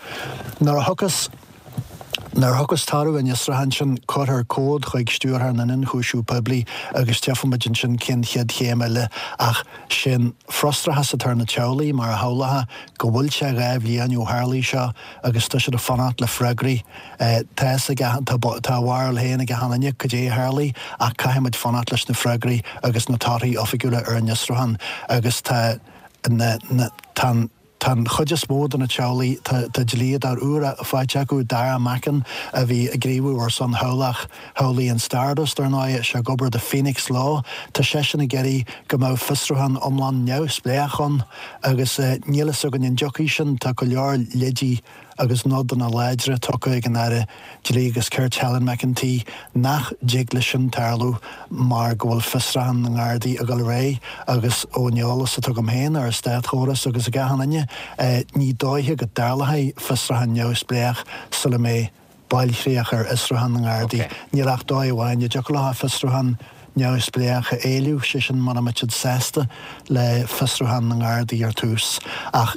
nuair a thiocfas. Nuair a thiocfas toradh an fhiosrúcháin sin, cuirfear comhad chuig Stiúrthóir na nIonchúiseamh Poiblí agus tchífimid ansin cén chéad chéim eile. Ach sé an frustrachas atá ar na teaghlaigh, mar a shamhlófá, go bhfuil sé 2 bhliain ó tharlaigh seo agus tá siad ag fanacht le freagraí. Tá fhios ag achan, tá a bharúil féin ag achan duine cad é a tharlaigh ach caithfimid fanacht leis na freagraí agus na torthaí oifigiúla ar an fhiosrúchán agus tá na, na, tá an. Tá an chuid is mó de na teaghlaigh, tá dlíodóir úr faighte acu, Dara Mackin, a bhí ag gníomhú ar son theaghlach theaghlaigh an Stardust, ar ndóigh, sé ag obair do Phoenix Law. Tá seisean ag iarraidh go mbeadh fiosrúchán iomlán neamhspléach ann agus níl fhios againn an dtiocfaidh sin. Tá go leor leidí agus nodanna láidre tugtha ag an Aire Dlí agus Cirt Helen McEntee nach dtig leis sin tarlú mar go bhfuil fiosrúchán na nGardaí ag dul ar aghaidh agus ón eolas atá agam féin ar an státchóras agus ag achan duine, ní dóiche go dtarlóidh fiosrúchán neamhspléach sula mbeidh bailchríoch ar fhiosrúchán na nGardaí. Níl ach dóigh amháin a dtiocfadh leo fiosrúchán neamhspléach a éileamh, sé sin mura mbeadh siad sásta le fiosrúchán na nGardaí ar tús. Ach.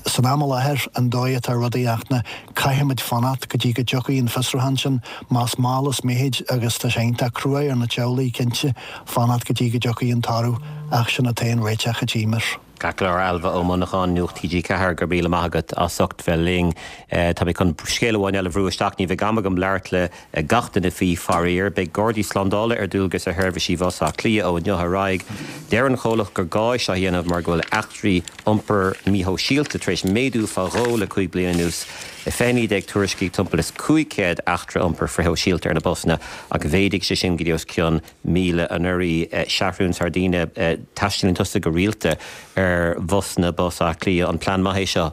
San am i láthair, an dóigh atá rudaí ach na, caithfimid fanacht go dtí go dtiocfaidh an fiosrúchán sin, más mall is mithid agus tá sé iontach cruaidh ar na teaghlaigh, cinnte, fanacht go dtí go dtiocfaidh an toradh ach sin an t-aon réiteach a tchímid. Ceart go leor, Ailbhe Ó Monacháin, Nuacht TG4, go raibh míle maith agat as ucht bheith linn. Tá mé chun scéal amháin eile a bhrú isteach, ní bheidh am agam labhairt le gach duine faoi, faraor. Beidh Gardaí Slándála ar dualgas ar sheirbhísí Bhus Átha Cliath ó inniu ar aghaidh. Deir an chomhlacht gur gá é seo a dhéanamh mar go bhfuil eachtraí iompar míshóisialta tar éis méadú fá dhó le 5 bliana anuas. I 2019 tuairiscíodh timpeall is 500 eachtra iompair frithshóisialta ar na busanna ach mhéadaigh sé sin go dtí os cionn 1,000 anuraidh. Seathrún Sardina, Taistealaíonn tusa go rialta ar bhusanna Bus Átha Cliath. An plean maith é seo?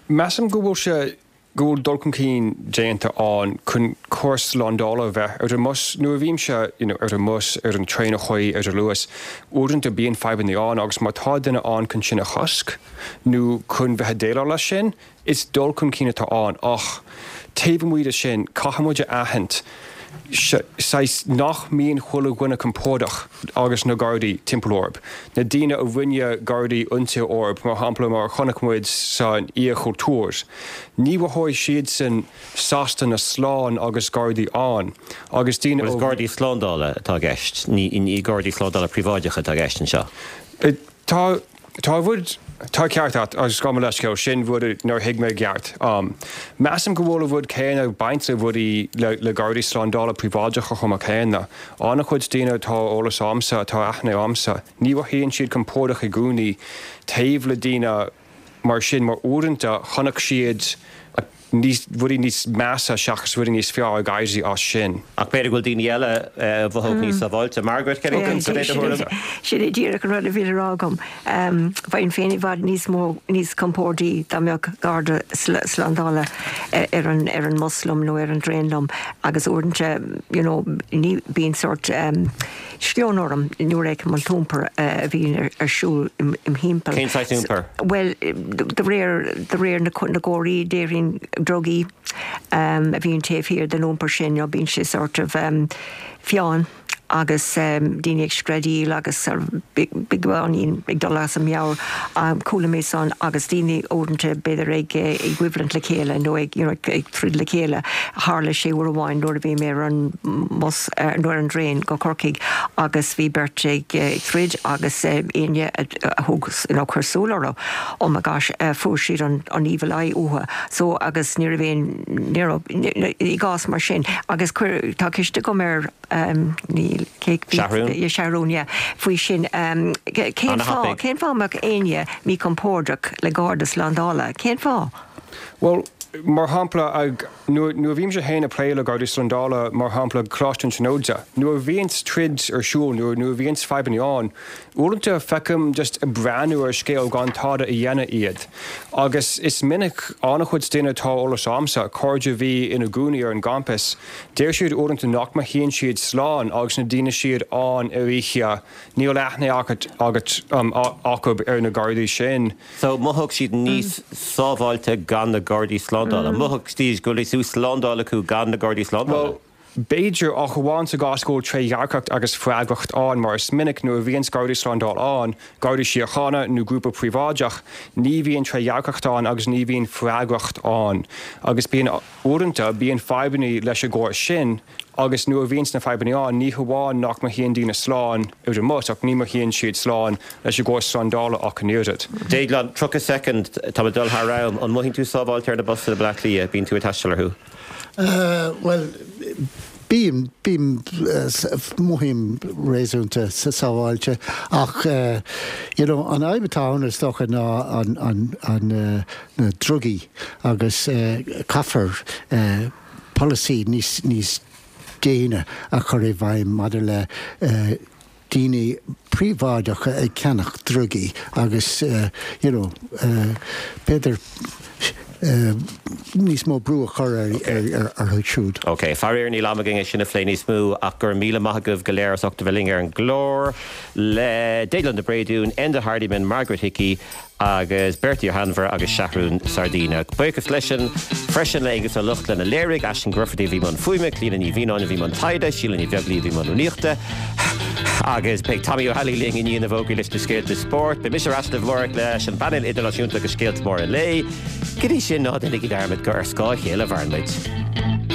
Measaim go bhfuil sé go bhfuil dul chun cinn déanta ann chun córas slándála a bheith ar an mbus. Nuair a bhímse you know ar an mbus, ar an traein a chuaigh ar an Luas, uaireanta bíonn fadhbanna ann agus má tá duine ann chun sin a chosc nó chun bheith ag déileáil leis sin, is dul chun cinn atá ann. Ach taobh amuigh de sin, caithfidh muid a aithint saghas nach mbíonn chuile dhuine compordach agus na Gardaí timpeall orthu. Na daoine a rinne Gardaí ionsaí orthu, mar shampla, mar a chonaic muid san Oíche Chultúir, ní mhothóidh siadsan sásta ná slán agus Gardaí ann. Agus daoine ó. Is Gardaí slándála atá i gceist, ní Gardaí slándála príobháideacha atá i gceist anseo. Tá, tá rud, tá ceart agat, agus gabh mo leithscéal, sin rud nár thuig mé i gceart. Measaim go bhfuil an rud céanna ag baint le rudaí, le, le gardaí slándála príobháideacha chomh maith céanna. An-chuid daoine atá eolas a'msa, atá aithne a'msa, ní mhothaíonn siad compordach i gcónaí taobh le daoine mar sin mar uaireanta chonaic siad níos, rudaí níos measa seachas rudaí níos fearr ag éirí as sin. Ach b'fhéidir go bhfuil daoine eile a mhothódh níos sábháilte. Margaret, cad é do thuairim? Sin é díreach an rud a bhí le rá agam. Bheinn féin i bhfad níos mó, níos compórdaí dá mbeadh garda slándála ar an, ar an mbus liom nó ar an dtraein liom agus uaireanta, you know, ní, bíonn sórt, Scleon orm nuair a fheicim an t-iompar a bhíonn ar siúl im thimpeall. Cén saghas iompair? Bhuel, de réir, de réir na gcomharthaí, déarfainn drugaí a bhíonn taobh thiar den iompar sin, you know, bíonn sé sort of fiáin agus daoine ag screadaíl agus beagáinín ag dul as a meabhair. Chuala mé san agus daoine uaireanta b'fhéidir ag coimhlint le chéile nó ag, you know, ag troid le chéile. Tharla sé uair amháin nuair a bhí mé ar an mbus, nó ar an dtraein go Corcaigh agus bhí beirt ag troid agus éinne a thug, you know, chuir súil orthu, oh my gosh, fuair siad an an evil eye uathu. So agus ní raibh aon, ní raibh, i gcás mar sin agus chuir, tá ceist agam ar, níl, cé, Seathrún? yeah, Seathrún, yeah, faoi sin, cén fáth, cén fáth a mbeadh éinne míchompordach le garda slándála? Cén fáth? Bhuel, mar shampla, ag, nuair, nuair a bhímse féin ag plé le Gardaí Slándála, mar shampla, Coláiste na Tríonóide, nuair a bhíonns troid ar siúl, nuair, nuair a bhíonns fadhbanna ann, uaireanta feicim just ag breathnú ar scéal gan tada a dhéanamh iad. Agus is minic, an-chuid daoine atá eolas a'msa, cairde a bhí ina gcónaí ar an gcampas, deir siad uaireanta nach mothaíonn siad slán agus na daoine siad ann ar oíche, níl aithne agat, agat, acu ar na Gardaí sin. So, mhothódh siad níos sábháilte gan na Gardaí Slándála. Mhothódh siad go bhfuil níos mó slándáil acu gan na Gardaí Slándála. Bhuel, B'fhéidir, ach amháin sa gcás go bhfuil trédhearcacht agus freagracht ann, mar is minic nuair a bhíonns Gardaí Slándála ann, Gardaí Síochána nó grúpa príobháideach, ní bhíonn trédhearcacht ann agus ní bhíonn freagracht ann. Agus bíonn, uaireanta, bíonn fadhbanna leis an gcóras sin agus nuair a bhíonns na fadhbanna ann, ní hamháin nach mothaíonn daoine slán ar an mbus ach ní mothaíonn siad slán leis an gcóras slándála ach an oiread. Déaglán, 30 soicind, tá mé ag dul thar am. An mothaíonn tú sábháilte ar na busanna i Bleá Cliath? Bíonn tú ag taisteal orthu? Bhuel, bím, bím, mothaím réasúnta sábháilte ach you know an fhadhb atá ann is dócha ná an, an, an, na drugaí agus caithfear polasaí níos, níos déine a chur i bhfeidhm maidir le daoine príobháideacha ag ceannach drugaí agus you know b'fhéidir níos mó brú a chur orthu siúd. Ok, faraor níl am againn é sin a phlé níos mó ach go raibh míle maith agaibh go léir as ucht a bheith linn ar an gclár le Déaglán de Bréadún, Enda Hardiman, Margaret Hickey, agus Bertie Ó hAinmhir agus Seathrún Sardina. Buíochas leisean freisin le Aengus Ó Lochlainn a léirigh, Aisling Grufferty a bhí i mbun fuaime, Clíona Ní Mhianáin a bhí i mbun taighde, Síle Ní Bheaglaoí a bhí i mbun rúnaíochta, agus beidh Tommy Ó hAilí linn i ndiaidh na bhfógraí leis na scéalta spóirt. Beidh mise ar ais libh amárach leis an bpainéal idirnáisiúnta agus scéalta móra an lae. Go dtí sin, ná déanaigí dearmad gur ar scáth a chéile a mhaireann muid.